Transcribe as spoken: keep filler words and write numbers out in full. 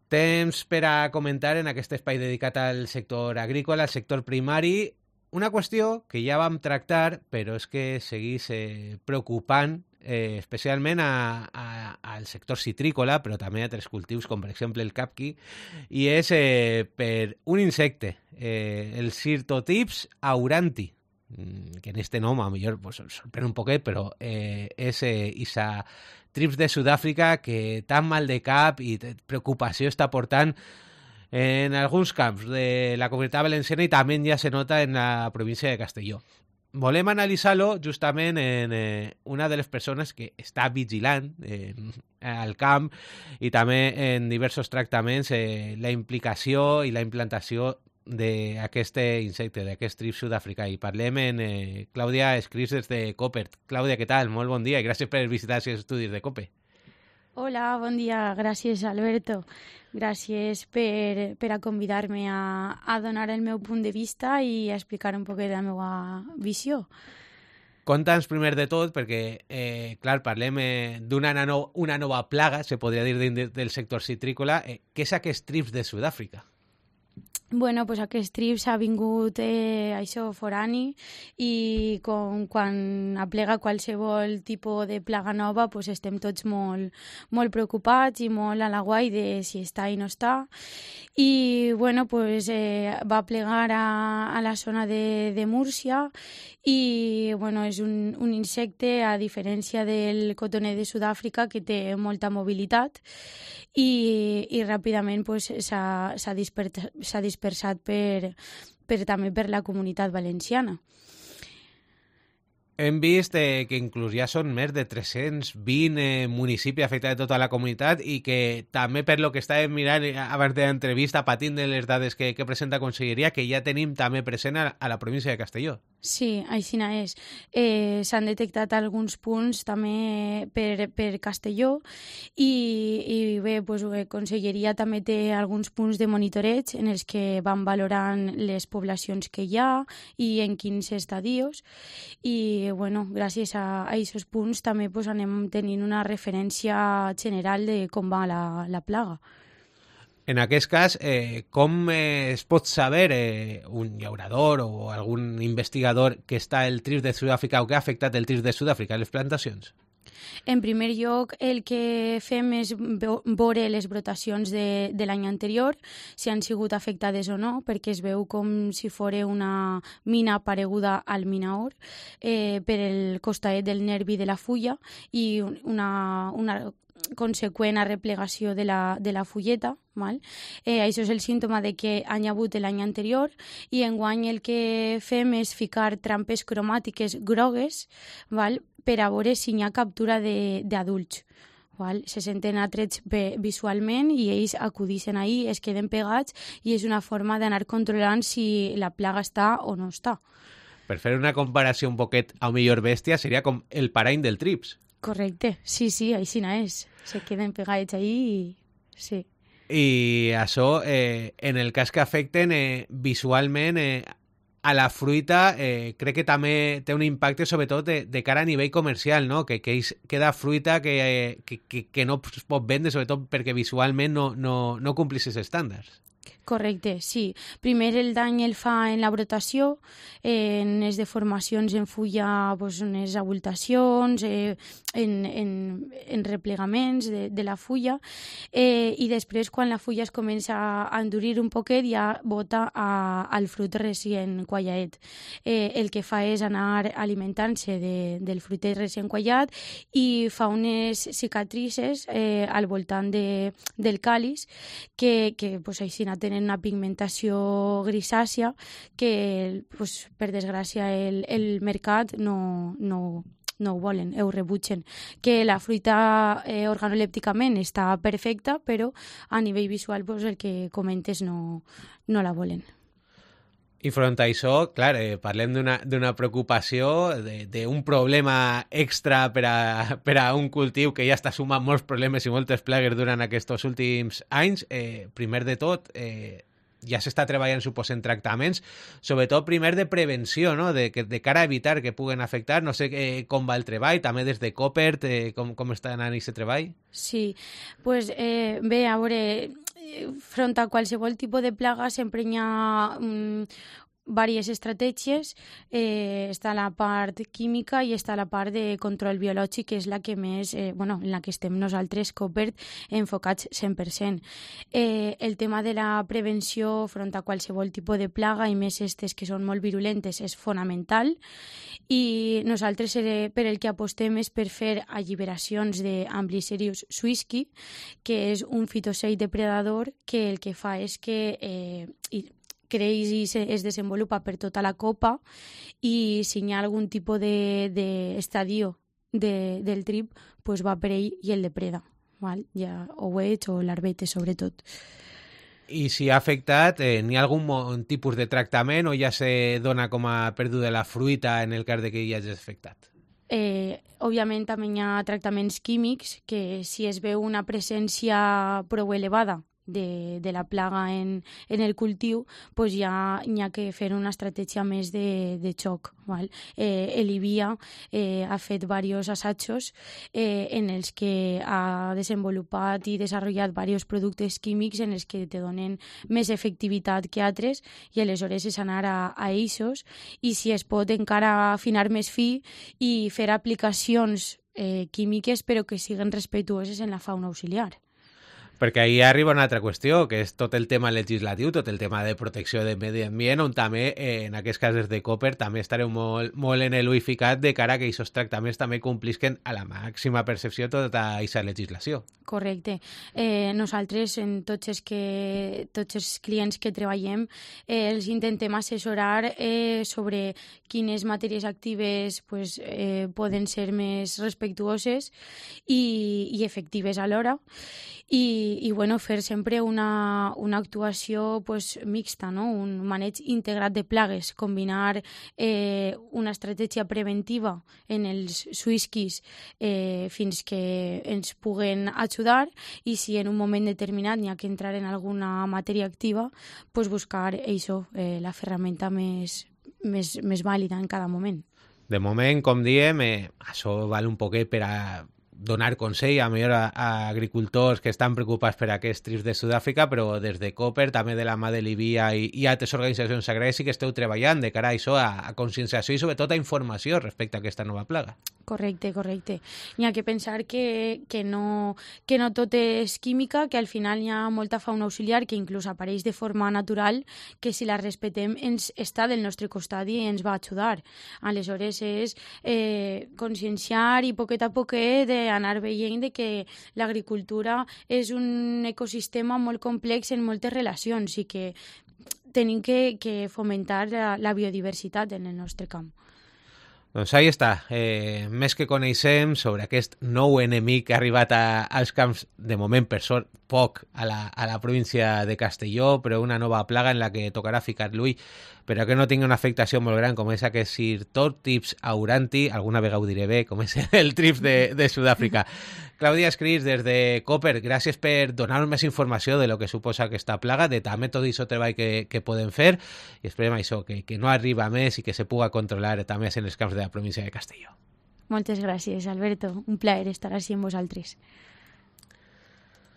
Temps per a comentar en aquest espai dedicat al sector agrícola, al sector primari, una qüestió que ja vam tractar, però és que seguís eh, preocupant, eh, especialment a, a, al sector citrícola, però també a altres cultius, com per exemple el capqui, i és eh, per un insecte, eh, el Syrtotips auranti, que en este nom a millor pues, sorprèn un poquet, però eh, és eh, isa trips de Sud-àfrica que tan mal de cap i preocupació està portant en alguns camps de la Comunitat Valenciana i també ja se nota en la província de Castelló. Volem analitzar-lo justament en eh, una de les persones que està vigilant eh, al camp i també en diversos tractaments eh, la implicació i la implantació d'aquest insecte, d'aquest trip sud-africà. I parlem en eh, Clàudia Escrits des de COPE. Clàudia, què tal? Molt bon dia i gràcies per visitar els estudis de COPE. Hola, bon dia. Gràcies, Alberto. Gràcies per, per a convidar-me a, a donar el meu punt de vista i a explicar un poc la meva visió. Conta'ns primer de tot, perquè, eh, clar, parlem eh, d'una no, una nova plaga, se podria dir, dins del sector citrícola. Eh, què és aquest trips de Sud-àfrica? Bueno, pues aquest trips ha vingut eh, això forani i com, quan aplega qualsevol tipus de plaga nova pues estem tots molt, molt preocupats i molt a la guai de si està i no està. I bueno, pues, eh, va plegar a, a la zona de, de Múrcia i bueno, és un, un insecte, a diferència del cotoner de Sud-àfrica, que té molta mobilitat i, i ràpidament pues, s'ha dispersat, dispersat per, per, també per la comunitat valenciana. Hem vist eh, que inclús ja són més de tres-cents vint eh, municipis afectats de tota la comunitat i que també per lo que estàvem mirant abans de l'entrevista, patint de les dades que, que presenta Conselleria, que ja tenim també present a, a la província de Castelló. Sí, aixina és. Eh, S'han detectat alguns punts també per, per Castelló i, i bé, pues, la Conselleria també té alguns punts de monitoreig en els que van valorant les poblacions que hi ha i en quins estadios i bueno, gràcies a aquests punts també pues, anem tenint una referència general de com va la, la plaga. En aquest cas, eh, com eh, es pot saber eh, un llaurador o algun investigador que està el trips de Sud-àfrica o que ha afectat el trips de Sud-àfrica a les plantacions? En primer lloc, el que fem és veure les brotacions de, de l'any anterior, si han sigut afectades o no, perquè es veu com si fos una mina pareguda al minaor eh, per el costaet del nervi de la fulla i una, una conseqüent arreplegació de la, de la fulleta. Val? Eh, això és el símptoma de que han hagut l'any anterior i enguany el que fem és ficar trampes cromàtiques grogues, val? Per a veure si hi ha captura d'adults. Se senten atrets visualment i ells acudixen ahí, es queden pegats i és una forma d'anar controlant si la plaga està o no està. Per fer una comparació un poquet a millor bèstia, seria com el parany del trips. Correcte, sí, sí, així és. Se queden pegats ahí i... sí. I això, eh, en el cas que afecten eh, visualment eh, a la fruita, eh, crec que també té un impacte sobretot de, de cara a nivell comercial, no? Que, que queda fruita que, eh, que, que, que no es pot vendre, sobretot perquè visualment no, no, no complís els estàndards. Correcte, sí. Primer el dany el fa en la brotació, eh, en les deformacions en fulla, pues, en les abultacions, eh, en, en, en replegaments de, de la fulla, eh, i després quan la fulla es comença a endurir un poquet ja bota a, al fruit recient quallaet. Eh, el que fa és anar alimentant-se de, del fruitet recient quallat i fa unes cicatrices eh, al voltant de, del càlis que, que pues, així tenen una pigmentació grisàcia que, pues, per desgràcia, el, el mercat no, no, no ho volen, ho rebutgen. Que la fruita eh, organolèpticament està perfecta, però a nivell visual pues, el que comentes no, no la volen. I front a això, clar, eh, parlem d'una preocupació, d'un problema extra per a, per a un cultiu que ja està sumant molts problemes i moltes plagues durant aquests últims anys. Eh, primer de tot, eh, ja s'està treballant, suposo, en tractaments, sobretot primer de prevenció, no? de, de cara a evitar que puguen afectar. No sé eh, com va el treball, també des de COPE, eh, com, com està anant aquest treball? Sí, pues, eh, bé, a veure, front a qualsevol tipus de plaga sempre hi ha mm, diverses estratègies. Eh, està la part química i està la part de control biològic, que és la que més, eh, bueno, en la que estem nosaltres, Copert, enfocats cent per cent. Eh, el tema de la prevenció front a qualsevol tipus de plaga, i més estes que són molt virulentes, és fonamental. I nosaltres eh, per el que apostem és per fer alliberacions d'Amblycerius swissky, que és un fitocid depredador que el que fa és que eh, creix i se, es desenvolupa per tota la copa, i si hi ha algun tipus d'estadio de, de, del trip, pues va per ell i el depreda, val? Ja ouets o larvetes sobretot. I si ha afectat, eh, n'hi ha algun tipus de tractament o ja se dona com a perduda la fruita en el cas de que hi hagi afectat? Eh, òbviament també hi ha tractaments químics que si es veu una presència prou elevada de, de la plaga en, en el cultiu, pues ja hi ha que fer una estratègia més de, de xoc. Val? Eh, Elivia eh, ha fet diversos assajos eh, en els que ha desenvolupat i desenvolupat diversos productes químics en els que te donen més efectivitat que altres, i aleshores és anar a, a eixos, i si es pot encara afinar més fi i fer aplicacions eh, químiques però que siguin respectuoses en la fauna auxiliar. Perquè ahir arriba una altra qüestió, que és tot el tema legislatiu, tot el tema de protecció del medi ambient, on també, eh, en aquests casos de Copert, també estareu molt, molt en l'ull ficat de cara a que aquests tractaments també complisquen a la màxima percepció tota aquesta legislació. Correcte. Eh, nosaltres, en tots els, que, tots els clients que treballem, eh, els intentem assessorar eh, sobre quines matèries actives pues, eh, poden ser més respectuoses i, i efectives alhora. I, i bueno, fer sempre una, una actuació pues, mixta, no? Un maneig integrat de plagues, combinar eh, una estratègia preventiva en els swisskeys eh, fins que ens puguen ajudar, i si en un moment determinat n'hi ha que entrar en alguna matèria activa, pues buscar això, eh, la ferramenta més, més, més vàlida en cada moment. De moment, com diem, eh, això val un poquet per a donar consell a millor a, a agricultors que estan preocupats per aquests trips de Sud-àfrica, però des de Copert, també de la mà de Livia i, i altres organitzacions agràries sí que esteu treballant de cara a això, a, a conscienciació i sobretot a informació respecte a aquesta nova plaga. Correcte, correcte. N'hi ha que pensar que, que, no, que no tot és química, que al final hi ha molta fauna auxiliar que inclús apareix de forma natural, que si la respectem ens està del nostre costat i ens va ajudar. Aleshores és eh, conscienciar i poquet a poquet d'anar veient de que l'agricultura és un ecosistema molt complex en moltes relacions i que tenim que, que fomentar la, la biodiversitat en el nostre camp. Doncs ahí està, eh, més que coneixem sobre aquest nou enemic que ha arribat a, als camps, de moment per sort poc, a la, a la província de Castelló, però una nova plaga en la que tocarà ficar l'ull, però que no tingui una afectació molt gran, com és aquest Sirtotrips auranti, alguna vegada ho diré bé, com és el trips de, de Sud-àfrica. Clàudia Escris, des de Copert, gràcies per donar-nos més informació de lo que suposa aquesta plaga, de també tot aquest treball que, que podem fer, i esperem això, que, que no arriba més i que se puga controlar també en els camps de la província de Castelló. Moltes gràcies, Alberto. Un plaer estar així amb vosaltres.